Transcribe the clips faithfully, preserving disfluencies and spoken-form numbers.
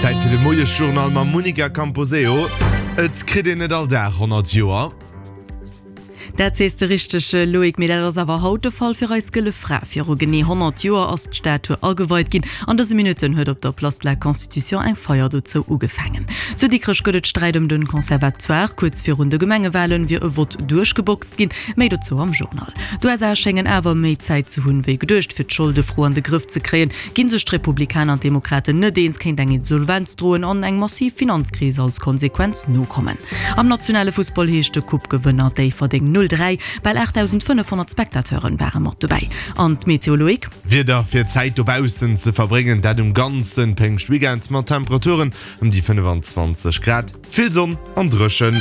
Zäit fir de Moiesjournal mam Monica Camposeo. Et kritt een net all Dag honnert Joer. Dat sees de richteg, Loïc, mee dat ass awer haut de Fall fir eis Gëlle Fra. Viru genee honnert Joer ass d'Statue ageweit ginn. An dëse Minutten huet op der Place de la Constitution eng Feier dozou ugefaangen. Zu Dikrech gëtt et Sträit ëm de Conservatoire. Kuerz virun de Gemengewalen wier e Vott duerchgeboxt ginn. Méi dozou am Journal. D'USA schéngen awer méi Zäit ze hunn, wéi geduecht, fir d'Scholdefro an de Grëff ze kréien. Ginn sech d'Republikaner an d'Demokraten net eens, kéint eng Insolvenz droen an eng massiv Finanzkris als Konsequenz nokommen. Am nationale Fussball heescht de Coupe-Gewënner Déifferdeng null dräi. Bal aachtdausendfënnefhonnert Spectateuren ware mat dobäi. An d'Meteo, Loïc? Wieder fir Zäit dobaussen ze verbréngen, dat um ganze Péngschtweekend mat Temperaturen ëm déi fënnefanzwanzeg Grad, vill Sonn an dréchen.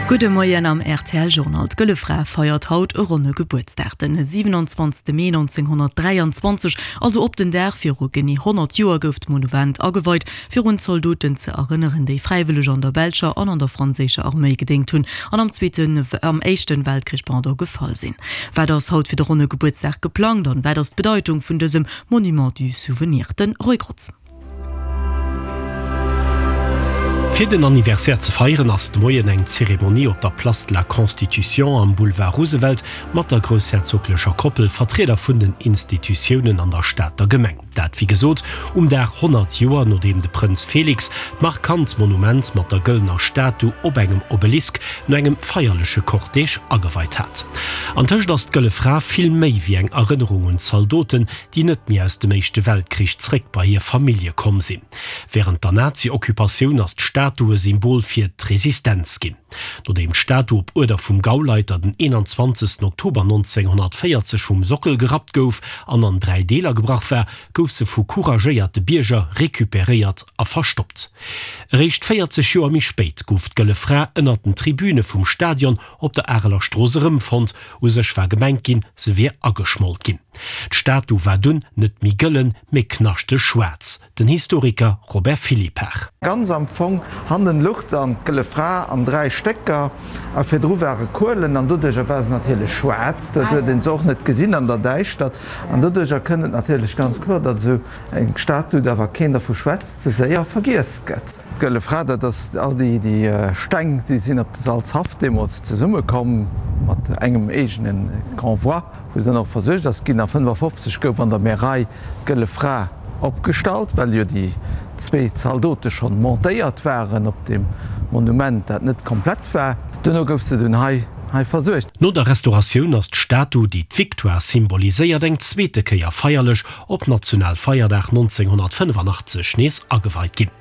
Gudde Moien am rtl Journal. D'Gëlle Fra feiert haut e ronne Gebuertsdag. Den siwenanzwanzegste Mee nonzénghonnertdräianzwanzeg, also op den Dag viru genee honnert Joer, gouf d'Monument ageweit, fir un d'Zoldoten ze erënneren, déi fräiwëlleg an der belscher an an der franséischer Arméi gedéngt hunn an am Zweeten, am Éischten Weltkrich, pardon, gefall sinn. Wat ass haut fir de ronne Gebuertsdag geplangt an wat ass d'Bedeitung vun dësem Monument du Souvenir? Den Roy Grotz. Fir den Anniversaire ze feieren ass de Moien eng Zeremonie op der Place de la Constitution am Boulevard Roosevelt mat der groussherzoglecher Koppel, Vertrieder vun den Institutiounen an der Stater Gemeng. Dat wéi gesot um Dag honnert Joer nodeem de Prënz Félix d'markant Monument mat der gëllener Statu op engem Obelisk no engem feierleche Cortège ageweit hat. Antëscht ass d'Gëlle Fra vill méi wéi eng Erënnerung un d'Zaldoten, déi net méi aus dem Éischte Weltkrich zréck bei hir Famillje komm sinn. Wärend der Nazi-Occupatioun ass d'Statu e Symbol fir d'Resistenz ginn. Nodeem d'Statu op Uerder vum Gauleiter den eenanzwanzegsten Oktober nonzénghonnertvéierzeg vum Sockel gerappt gouf an an dräi Deeler gebrach war, gouf se vu couragéierte Bierger recuperéiert a verstoppt. Eréischt véierzeg Joer méi spéit gouf d'Gëlle Fra ënnert den Tribüne vum Stadion op der Areler Strooss erëmfonnt. U sech war gemengt ginn, se wier ageschmolt ginn. D'Statu war dunn net méi gëllen, mee knaschteg schwaarz. Den Historiker Robert Philippart. Ganz am Fong hannen luch dann d'Gëlle Fra an dräi Stécker a virdru ware Kuelen an doduercher war se natierlech schwaarz. Dat huet een se och net gesinn an der Däischtert an doduercher kënnt et natierlech ganz kloer, datt esou eng Statu, da wa keen dervu schwätzt, ze séier vergiess gëtt. D'Gëlle Fra, dat ass all déi Steng, déi sinn op de Salzhaff deemools zesummekomm mat engem eegene Convoi, wou se dann och versuergt ass ginn. A fënnefafofzeg gouf an der Märei d'Gëlle Fra opgestallt, well jo déi zwee Zaldote schonn montéiert waren op deem Monument, dat net komplett war. Duerno gouf se dunn hei hei versuergt. No der Restauratioun ass d'Statu, déi d'Victoire symboliséiert, eng zweete Kéier feierlech op Nationalfeierdag nonzénghonnertfënnefanachtzeg nees ageweit ginn.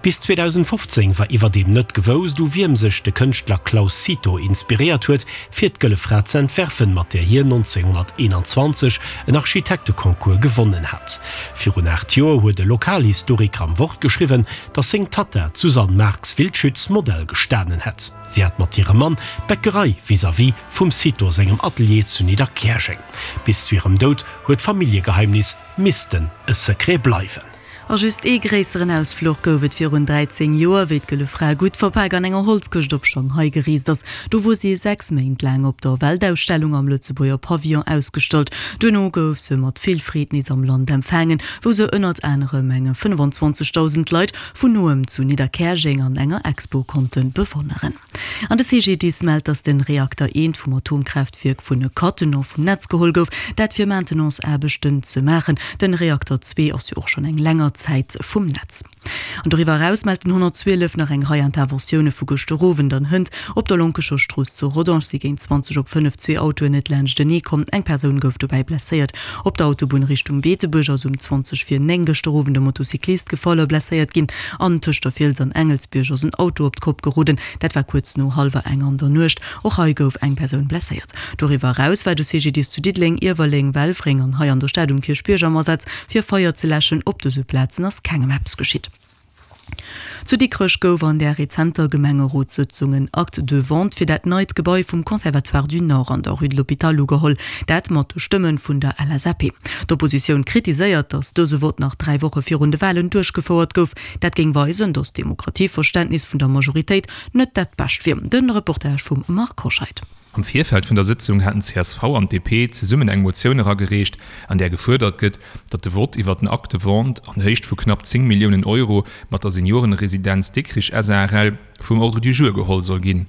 Bis zweedausendfofzéng war iwwerdeem net gewousst, u wiem sech de Kënschtler Claus Cito inspiréiert huet, fir d'Gëlle Fra ze entwerfen, mat där hien nonzénghonnerteenanzwanzeg en Architekteconcours gewonnen hat. Virun aacht Joer huet e Lokalhistoriker am Wort geschriwwen, datt seng Tatta, d'Suzanne Marx-Wildschütz, Modell gestanen hätt. Si hat mat hirem Mann d'Bäckerei vis-à-vis vum Cito sengem Atelier zu Nidderkäerjeng. Bis zu hirem Doud huet d'Familljegeheimnis missten e Secret bleiwen. A just ee gréisseren Ausfluch gouf et virun dräizéng Joer, wéi d'Gëlle Fra gutt verpak an enger Holzkëscht op Shanghai gereest ass. Do wor si sechs Méint laang op der Weltausstellung am Lëtzebuerger Pavillon ausgestallt. Duerno gouf se mat vill Freed nees am Land empfaangen, wou se ënnert anerem enge fënnefenzwanzegdausend Leit vun noem zu Nidderkäerjeng an enger Expo konnte bewonneren. An de C G D I S mellt, datt de Reakter eent vum Atomkraaftwierk vun Cattenom vum Netz geholl gouf, dat fir Maintenance-Aarbechten ze maachen. Den Reakter zwee ass jo och schonn eng länger Zäit vum Netz. An doriwwer eraus mellt den honnertzwielef nach eng Rei Interventioune vu gëschter Owend an hënt. Op der Lonkecher Strooss zu Rodange si géint zwanzeg op fënnef zwee Autoen net laanschtenee komm. Eng Persoun gouf dobäi blesséiert. Op der Autobunn Richtung Beetebuerg ass um zwanzeg vir néng gëschter Owend e Motocyclist gefall a blesséiert ginn. An tëscht der Fiels an Engelsbierg ass en Auto op d'Kopp geroden. Dat war kuerz no hallwer eng an der Nuecht. Och hei gouf eng Persoun blesséiert. Doriwwer eraus war de C G D I S zu Diddeleng, Iewerleng, Welfréng an hei an der Stad um Kierchbierg am Asaz, fir Feier ze läschen. Op dëse Plazen ass kengem eppes geschitt. Zu Dikrech gouf an der rezenter Gemengerotssëtzung en Acte de vente fir dat neit Gebai vum Conservatoire du Nord an der Rue de l'Hôpital ugeholl, dat mat de Stëmme vun der L S A P. D'Oppositioun kritiséiert, datt dëse Vott nach dräi Woche virun de Walen duerchgefouert gouf. Dat géing weisen, datt d'Demokratieverständnis vun der Majoritéit net dat bescht wier. De Reportage vum Marc Hoscheid. Am Virfeld vun der Sëtzung haten csv an D P zesummen eng Motioun eragereecht, an där gefuerdert gëtt, datt de Vott iwwer den Acte de vente an Héicht vu knapp zéng Milliounen Euro mat der Seniorenresidenz Dikrich S A R L vum Ordre du jour geholl soll ginn.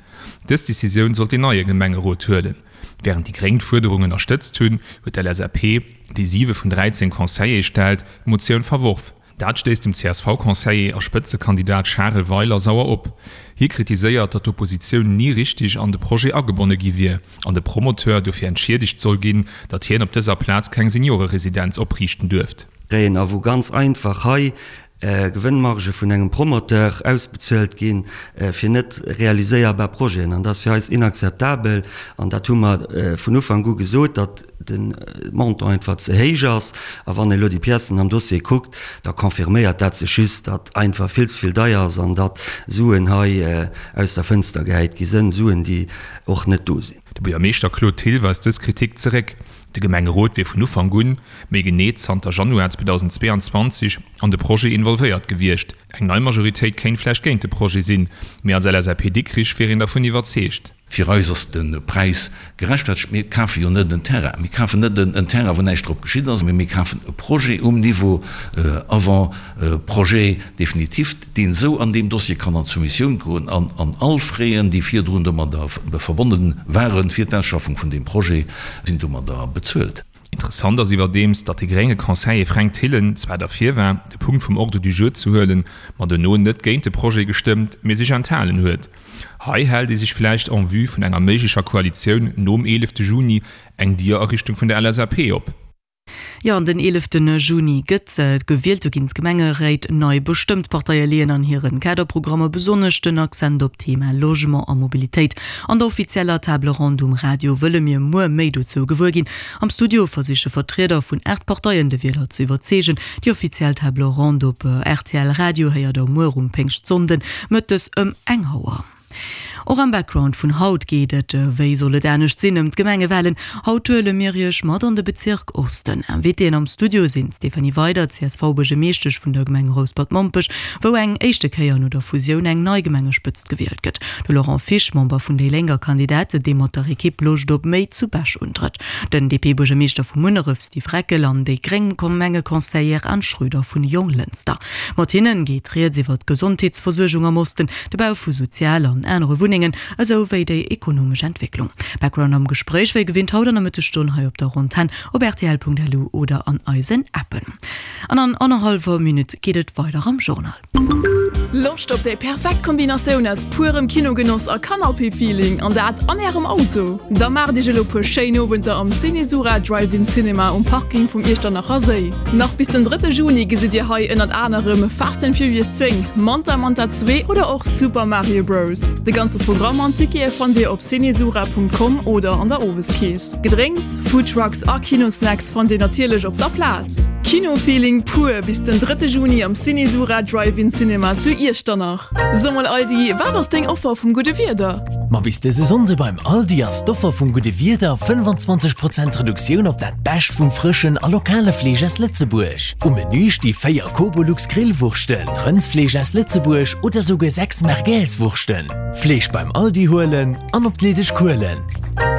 Dës Decisioun sollt deen neie Gemengerot huelen. Wärend déi Gréng d'Fuerderung ënnerstëtzt hunn, huet d'L S A P, déi siwe vun dräizéng Conseiller stellt, d'Motioun verworf. Dat stéisst dem C S V-Conseiller a Spëtzekandidat Charel Weiler sauer op. Hie kritiséiert, datt d'Oppositioun ni richteg an de Projet agebonne gi wier an de Promoteur dofir entschiedegt soll ginn, datt hien op dëser Plaz keng Senioreresidenz opriichten duerft. Kréien a wou ganz einfach hei Gewënnmargë vun engem Promoteur ausbezuelt gi fir net realiséierbar Projeten. An dat ass fir eis inakzeptabel. An dat hu mer vun Ufank u gesot, datt de Montant einfach ze héich ass. A wann ee elo déi Piècen am Dossier kuckt, da confirméiert dat sech just, datt einfach vill ze vill deier ass an datt Suen hei aus der Fënster gehäit gi sënn, Suen, déi och net do sinn. De Buergermeeschter Claude Thill weist dës Kritik zeréck. De Gemengerot wier vun Ufank un, méi genee zanter Januar zweedausendzweeanzwanzeg, an de Projet involvéiert gewiescht. Eng nei Majoritéit kéint vläicht géint de Projet sinn, mee als L S A P Dikrich wier een dervun iwwerzeegt. Fir eis ass de Präis gerechtfertegt. Mir kafe jo net en Terrain. Mir kafen net en Terrain, wou näischt drop geschitt ass, mee mir kafen e Projet um Niveau avant-projet définitif, deen esou an deem Dossier kann an d'Soumissioun goen an an all Fräen, déi virdrun domadder verbonne ware fir d'Ausschaffung vun deem Projet, sinn domadder bezuelt. Interessant ass iwwerdeems, datt de grénge Conseiller Fränk Thillen zwar derfir war, de Punkt vum Ordre du jour ze huelen, ma dono net géint de Projet gestëmmt, mee sech enthalen huet. Hei hält ee sech vläicht en vue vun enger méiglecher Koalitioun nom eelefte Juni eng Dier a Richtung vun der L S A P op. Jo, an den eeleften Juni gëtt gewielt, do ginn d'Gemengeréit nei bestëmmt. D'Parteie leeën an hiren Kaderprogrammer besonnesch den Accent op d'Thema Logement a Mobilitéit. An der offizieller Table ronde um Radio wëlle mir muer méi dozou gewuer ginn. Am Studio versiche Vertrieder vun aacht Parteien de Wieler ze iwwerzeegen. Déi offiziell Table ronde op R T L Radio héiert der muer um Péngschtsonnden mëttes ëm eng Auer. Och am Background vun haut geet et, wéi soll et anescht sinn, ëm d'Gemengewalen. Haut huele mir iech mat an de Bezirk Osten. Invitéen am Studio sinn d'Stéphanie Weydert, C S V-Buergermeeschtesch vun der Gemeng Rouspert-Mompech, wou eng éischte Kéier no der Fusioun eng nei Gemengespëtzt gewielt gëtt. De Laurent Fisch, Member vun déi Lénk a Kandidat, dee mat der Ekipp Loscht op méi zu Bech untrëtt. Den D P-Buergermeeschter vu Munneref Steve Reckel an déi gréng Gemengeconseillère Anne Schröder vun Jonglënster. Mat hinnen geet rieds iwwer d'Gesondheetsversuergung am Osten, de Bau vu Sozial an anere Wunnengen, esou wéi déi ekonomesch Entwécklung. Background am Gespréich wéi gewinnt haut an der Mëttesstonn hei op der Antenn op R T L Punkt L U oder an eisen Appen. An an annerhallwer Minutt geet et weider am Journal. Loscht op déi perfekt Kombinatioun aus purem Kinogenoss a Canapé-Feeling an dat an ärem Auto? Da maacht iech elo puer schéin Owenter am Cinesura Drive-In Cinema um Parking vum Iechternacher Séi. Nach bis den drëtte Juni gesitt dir hei ënnert anerem Fast and Furious zéng, Manta Manta zwee oder och Super Mario Bros. De ganze Programm an Tickete fannt dir op cinesura Punkt com oder an der Oweskeess. Gedrénks, Foodtrucks a Kinosnacks fannt dir natierlech op der Plaz. Kinofeeling pur bis den drëtte Juni am Cinesura Drive-In Cinema zu Iechternach. So mol Aldi, wat ass deng Offer vum gudde Wieder? Ma bis dëse Sonnde beim Aldi ass d'Offer vum gudde Wieder fënnfanzwanzeg Prozent Reduktioun op dat Bescht vum frëschen a lokale Fleesch aus Lëtzebuerg. Um Menü sti véier Kobolux Grillwurschten, Rëndsfleesch aus Lëtzebuerg oder souguer sechs Merguez-Wurschten. Fleesch beim Aldi huelen an op d'leedeg Kuelen.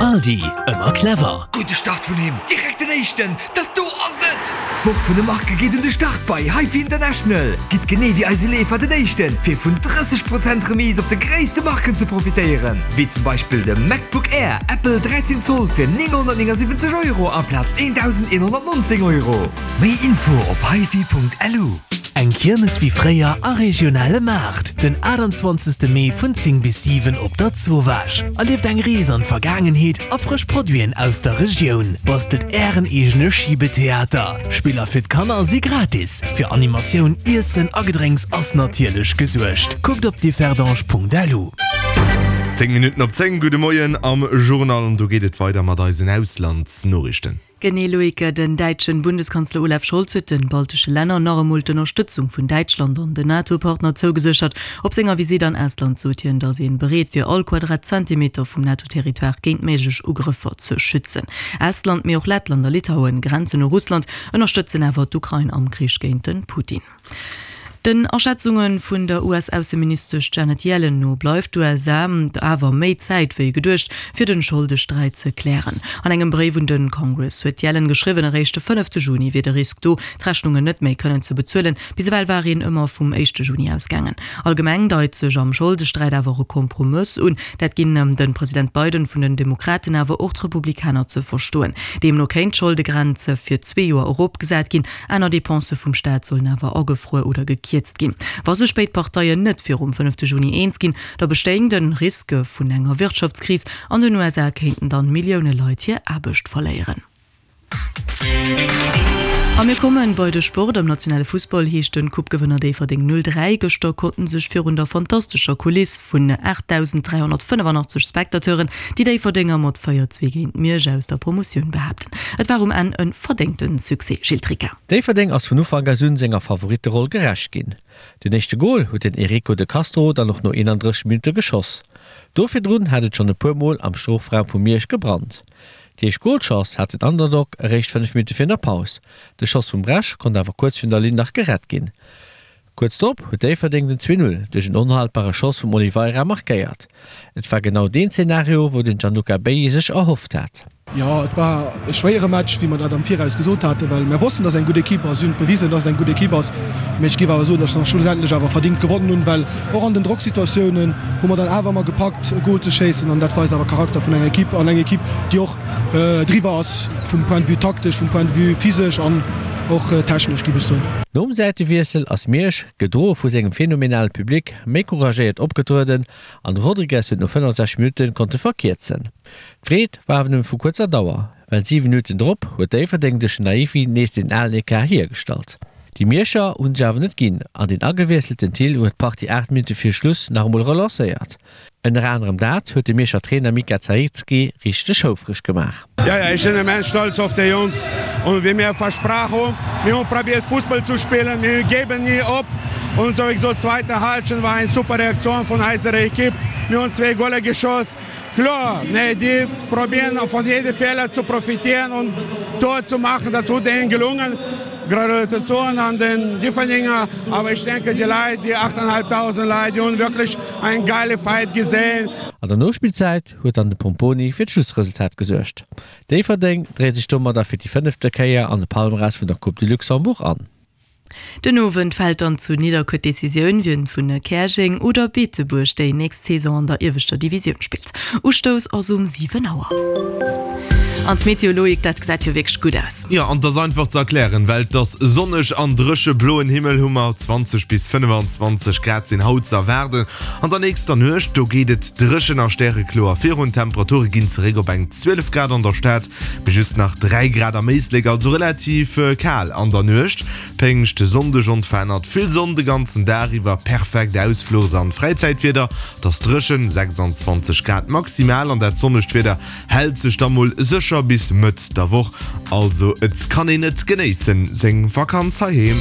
Aldi, ëmmer clever. Gudde Start vun him, direkt den éischten, dat do ass et! D'Woch vun de Marke geet un de Start bei HiFi International. Gitt genee wéi eise Leefer den éischten, fir vun drësseg Prozent Remise op de gréisste Marken ze profitéieren. Wéi zum Beispill de MacBook Air Apple dräizéng Zoll fir nénghonnertnéngasiwwenzeg Euro amplaz eendausendeenhonnertnonzéng Euro. Méi Info op hifi Punkt L U. Eng Kiermes wéi fréier a regionale Maart, den aachtanzwanzegste Mee vun zéng bis siwen op der Zowaasch. Erlieft eng Rees an d'Vergaangenheet a frësch Produiten aus der Regioun. Bastelt ären eegene Schibetheater. Spiller fir d'Kanner si gratis. Fir Animatioun, Iessen a Gedrénks ass natierlech gesuergt. Kuckt op differdange Punkt L U. Zéng Minutten op zéng, gudde Moien am Journal an do geet et weider mat eisen Auslandsnoriichten. Genee Loïc, den däitschen Bundeskanzler Olaf Scholz huet de baltesche Länner nach emol d'Ënnerstëtzung vun Däitschland an den NATO-Partner zougeséchert. Op senger Visitt an Estland sot hien, datt ee bereet wier all Quadratzentimeter vum NATO-Territoire géint méiglech Ugrëffer ze schützen. Estland, mee och Lettland a Litauen grenzen u Russland, ënnerstëtzen awer d'Ukrain am Krich géint de Putin. Den Aschätzunge vun der US-Ausseministesch Janet Yellen no bleift d'USA awer méi Zäit wéi geduecht, fir den Scholdesträit ze klären. An engem Bréif un de Congress huet d'Yellen geschriwwen, eréischt de fënnefte Juni wier de Risk do, d'Rechnungen net méi kënnen ze bezuelen. Bis ewell war een ëmmer vum éischte Juni ausgaangen. Allgemeng deit sech am Scholdesträit awer och e Kompromëss un. Dat ginn de President Biden vun den Demokraten awer och d'Republikaner ze verstoen. Deemno kéint d'Scholdegrenz fir zwee Joer eropgesat ginn, aner Depensë vum Staat sollen awer agefruer oder gekierzt ginn. Wa sech béid Parteien net virum fënnefte Juni eens ginn, da bestéing de Risk vun enger Wirtschaftskris. An den U S A kéinten dann Millioune Leit hir Aarbecht verléieren. A mir kommen bei de Sport. Am nationale Fussball heescht den Coupe-Gewënner Déifferdeng null dräi. Gëschter konnten sech virun der fantastescher Kuliss vun aachtdausend dräihonnertfënnefanachtzeg Spectateuren déi Déifferdenger mat véier zwee géint Miersch aus der Promotioun behaapten. Et war um Enn e verdéngte Succès. Gilles Tricca. Déifferdeng ass vun Ufank u senger Favoritteroll gerecht ginn. Den éischte Gol huet den Erico de Castro dann och no eenandrësseg Minutte geschoss. Do virdrun hat et schonn e puer Mol am Strofraum vu Miersch gebrannt. Déi éischt Golchance hat den Underdog eréischt fënnef Minutte virun der Paus. De Schoss vum Bresch konnt awer kuerz virun der Linn nach gerett ginn. Kuerz drop huet Déifferdeng den zwee Null duerch en onhaltbare Schoss vum Oliveira markéiert. Et war genau deen Zenario, wou den Gianluca Bailly sech erhofft hat. Jo, et war e schwéiere Match, wéi mer dat am Viraus gesot haten, well mir wossten, dass eng gutt Ekipp ass. Si hunn et bewisen, dass et eng gutt Ekipp ass. Mee ech géif awer soen, dass mer schlussendlech awer verdingt gewonnen hunn, well och an den Drocksituatiounen hu mer dann awer ëmmer gepackt, e Gol ze schéissen. An dat weist awer Charakter vun enger Ekipp an eng Ekipp, déi och driwwer ass vum Point de vue taktesch, vum Point de vue physesch an och technesch, géif ech soen. Nom Säitewiessel ass Miersch, gedroe vu sengem phänomenale Public, méi couragéiert opgetrueden an de Rodrigues huet no fënnefensechzeg Minutte konnte verkierzen. D'Freed war awer nëmme vu kuerzer Dauer, well siwe Minutten drop huet Déifferdeng duerch den Naifi nees den alen Ecart hiergestallt. Déi Mierscher hunn sech awer net ginn an den agewiesselten Thill huet d'Partie aacht Minutte viru Schluss nach emol relancéiert. Ënner anerem dat huet de Mierscher Trainer Mika Zaicki richteg houfreg gemaach. Ja, ja, ich bin immens stolz auf die Jungs und wie mir versprochen, wir haben probiert Fußball zu spielen, wir geben nie op und sowieso zweite Halbzeit war eine super Reaktion von unserer Equipe. Wir haben zwei Goale geschossen. Klar, ne, die probieren von jedem Fehler zu profitieren und Tor zu machen, das tut denen gelungen. Gratulation an den Differdinger, aber ich denke, die Leute, die achttausendfünfhundert Leute, die haben wirklich einen geile Fight gesehen. An der Nospillzäit huet dann de Pomponi fir d'Schlussresultat gesuergt. Déifferdeng dréit sech domadder fir déi fënnefte Kéier an de Palmarès vun der Coupe de Luxembourg an. Den Owend fält dann zu Nidderkuer d'Decisioun, wien vun Käerjeng oder Beetebuerg déi nächst Saison an der ieweschter Divisioun spillt. Ustouss ass um siwen Auer. An d'Meteo, Loïc, dat gesäit jo wierklech gutt aus. Jo, an 't ass einfach ze erklären, well 't ass sonneg an dréche bloen Himmel hu mer, zwanzeg bis fënnefenzwanzeg Grad sinn haut ze erwaarden. An der nächster Nuecht, do geet et dréchen a stärekloer virun, d'Temperature ginn zeréck op eng zwielef Grad an der Stad, mee just nach dräi Grad am Éislek, also relativ kal an der Nuecht. Péngschtsonndeg onverännert vill Sonn de ganzen Dag iwwer, perfekt Ausfluchs an Fräizäitwieder, 't ass dréchen, sechsanzwanzeg Grad maximal an dat sonnegt Wieder hält sech da mol sécher bis Mëtt der Woch, also et kann een et genéissen seng Vakanz heiheem.